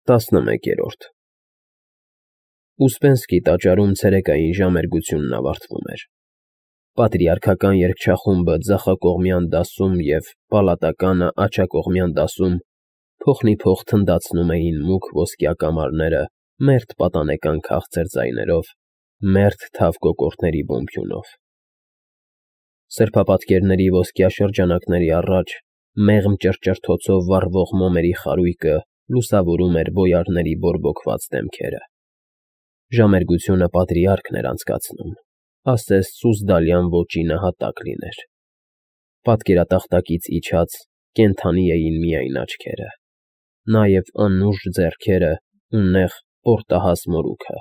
11-րդ Ուսպենսկի տաճարում ցերեկային ժամերգությունն ավարտվում էր։ Պատրիարքական երգչախումբը ձախակողմյան դասում և պալատականը աջակողմյան դասում փոխնիփոխ թնդացնում էին մուգ ոսկյա կամարները մերթ պատանեկան քաղցր ձայներով, մերթ թավ կոկորդների բոմբյունով։ Սրբապատկերների ոսկյա շրջանակների առաջ մեղմ ճռճռթոցով վառվող մոմերի խարույկը լուսավորում էր բոյարների բորբոքված դեմքերը։ Ժամերգությունը պատրիարքն էր անցկացնում, ասես սուզդալյան ոճի նահատակ լիներ։ Պատկերատախտակից իջած կենդանի էին միայն աչքերը, նաև անուշ ձեռքերը ու նեղ պորտահաս մորուքը,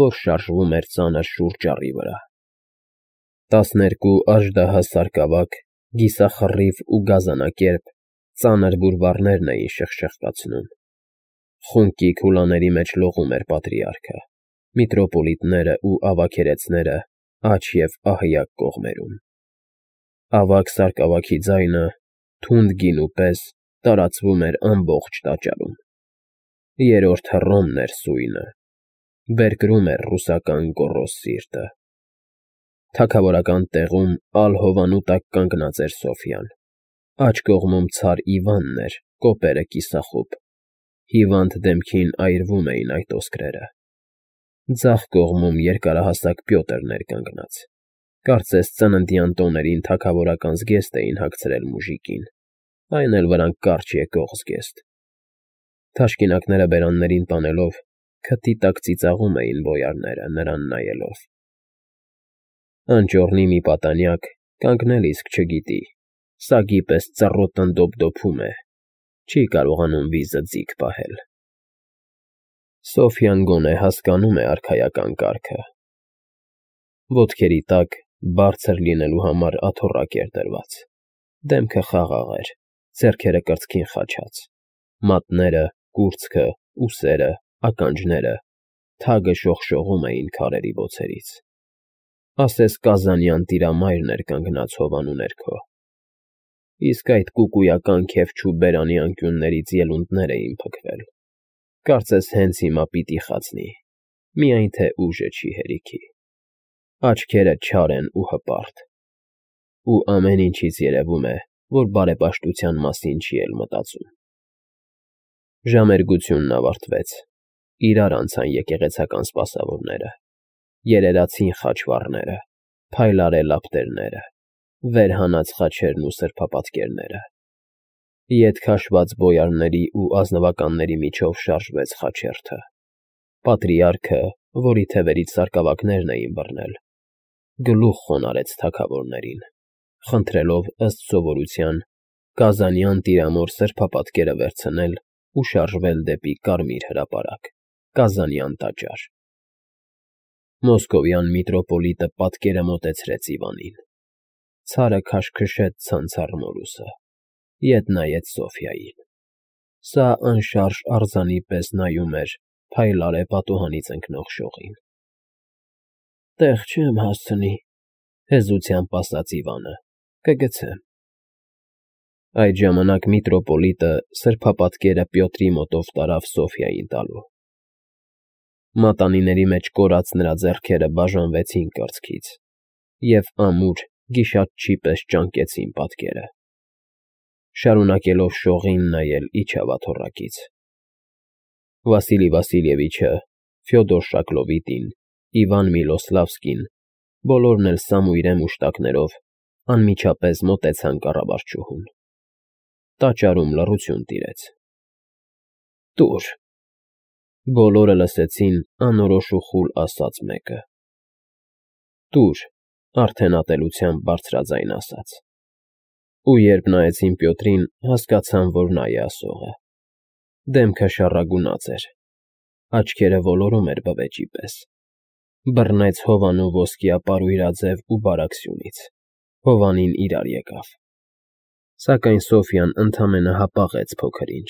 որ շարժվում էր ծանր շուռ ճառի վրա։ 12 աժդահաս սարկավակ, կիսախռիվ ու գազանակերպ ծանր բուրվառներն էին շխշխկացնում։ Խունկի քուլաների մեջ լողում էր պատրիարքը, միտրոպոլիտները ու ավագերեցները աջ և ահյակ կողմերում։ Ավագ սարկավագի ձայնը, թունդ գինու պես, տարածվում էր ամբողջ տաճարում։ Երրորդ Հռոմն էր սույնը, բերկրում էր ռուսական գոռոզ սիրտը։ Թագավորական տեղում ալ֊հովանու տակ կանգնած էր Սոֆյան, աջ կողմում Ցար Իվանն էր, կոպերը կիսախուբ, հիվանդ դեմքին այրվում էին այդ ոսկրերը։ Ձախ կողմում երկարահասակ Պյոտրն էր կանգնած, կարծես ծննդյան տոներին թագավորական զգեստ էին հագցրել մուժիկին, այն էլ վրան կարճ եկող զգեստ։ Թաշկինակները բերաններին տանելով, քթի տակ ծիծաղում էին բոյարները, նրան նայելով։ Անճոռնի մի պատանյակ, կանգնել իսկ չգիտի, սագի պես ծռոտն դոփդոփում է, չի կարողանում վիզը ձիգ պահել։ Սոֆյան գոնե հասկանում է արքայական կարգը։ Ոտքերի տակ բարձր լինելու համար աթոռակ էր դրված, դեմքը խաղաղ էր, ձեռքերը կրծքին խաչած, մատները, կուրծքը, ուսերը, ականջները թագը շողշողում էին քարերի բոցերից։ Ասես կազանյան տիրամայրն էր կանգնած հովանու ներքո։ Իսկ այդ կուկույական քեֆչու բերանի անկյուններից ելունդներ էին փքվել, կարծես հենց հիմա պիտի խացնի, միայն թե ուժը չի հերիքի։ Աչքերը չար են ու հպարտ, ու ամեն ինչից երևում է, որ բարեպաշտության մասին չի էլ մտածում։ Ժամերգությունն ավարտվեց, իրար անցան եկեղեցական սպասավորները, երերացին խաչվառները, փայլառե լապտերները, վեր հանած խաչերն ու սրբապատկերները։ Ետ քաշված բոյարների ու ազնվականների միջով շարժվեց խաչերթը։ Պատրիարքը, որի թևերից սարկավակներն էին բռնել, գլուխ խոնարհեց թագավորներին, խնդրելով ըստ սովորության գազանյան տիրամոր սրբապատկերը վերցնել ու շարժվել դեպի Կարմիր հրապարակ, Կազանյան տաճար։ Մոսկովյան միտրոպոլիտը պատկերը մոտեցրեց Իվանին։ Ցարը քաշքշեց ցանցառ մորուսը, ետ նայեց Սոֆյային։ Սա անշարժ արձանի պես նայում էր փայլառե պատուհանից ընկնող շողին։ Տեղ չեմ հասցնի, հեզությամբ ասաց Իվանը, կգցեմ։ Այդ ժամանակ միտրոպոլիտը սրբապատկերը Պյոտրի մոտով տարավ Սոֆյային տալու։ Մատանիների մեջ կորած նրա ձեռքերը բաժանվեցին կրծքից և ամուր, գիշատչի պես ճանկեցին պատկերը։ Շարունակելով շողին նայել իջավ աթոռակից։ Վասիլի Վասիլևիչը, Ֆյոդոր Շակլովիտին, Իվան Միլոսլավսկին, բոլորն էլ սամույրե մուշտակներով անմիջապես մոտեցան կառավարչուհուն։ Տաճարում լռություն տիրեց։ Տուր։ Բոլորը լսեցին անորոշ ու խուլ ասած մեկը։ Տուր, արդեն ատելությամբ բարձրաձայն ասաց։ Ու երբ նայեցին Պյոտրին, հասկացան, որ նա է ասողը։ Դեմքը շառագունած էր, աչքերը ոլորում էր բվեճի պես։ Բռնեց հովանու ոսկյա պարույրաձև ու բարակ Հովանին իրար եկավ։ Սակայն Սոֆյան ընդամենը հապաղեց փոքր ինչ,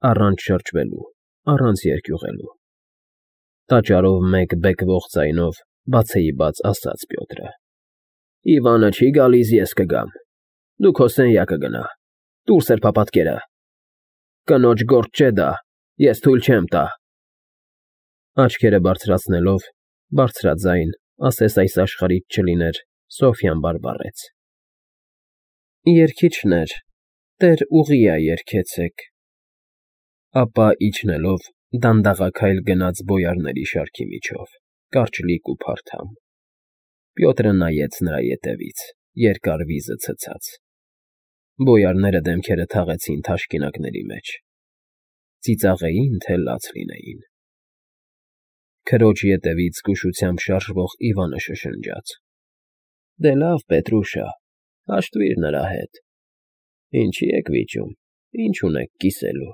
առանց շրջվելու, առանց երկյուղելու։ Տաճարով մեկ բեկվող ձայնով բացեիբաց ասաց Պյոտրը. Իվանը չի գալիս, ես կգամ։ Դու քո սենյակը գնա, տուր սրբապատկերը։ Կնոջ գործ չէ դա, Ես թույլ չեմ տա։ Աչքերը բարձրացնելով, բարձրաձայն, ասես այս աշխարհից չլիներ, Սոֆյան բարբառեց. Երգիչներ, տեր Ուղիա երգեցեք։ Ապա իջնելով դանդաղաքայլ գնաց բոյարների շարքի միջով, կարճլիկ ու փարթամ։ Պյոտրը նայեց նրա ետևից, երկար վիզը ցցած։ Բոյարները դեմքերը թաղեցին թաշկինակների մեջ։ Ծիծաղեին, թե լաց լինեին։ Քրոջ ետևից զգուշությամբ շարժվող Իվանը շշնջաց. Դե լավ, Պետրուշա, հաշտվիր նրա հետ։ Ինչի եք վիճում, ինչ ունեք կիսելու։